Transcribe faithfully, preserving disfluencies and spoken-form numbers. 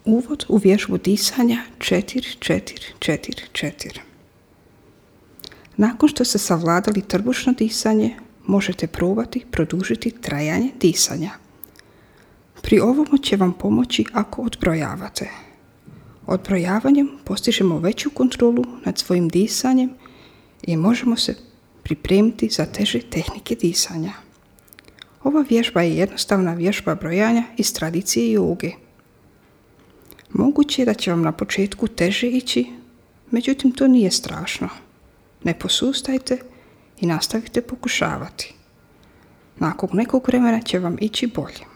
Uvod u vježbu disanja četiri četiri četiri četiri. Nakon što ste savladali trbušno disanje, možete probati produžiti trajanje disanja. Pri ovomu će vam pomoći ako odbrojavate. Odbrojavanjem postižemo veću kontrolu nad svojim disanjem i možemo se pripremiti za teže tehnike disanja. Ova vježba je jednostavna vježba brojanja iz tradicije joge. Moguće je da će vam na početku teže ići, međutim to nije strašno. Ne posustajte i nastavite pokušavati. Nakon nekog vremena će vam ići bolje.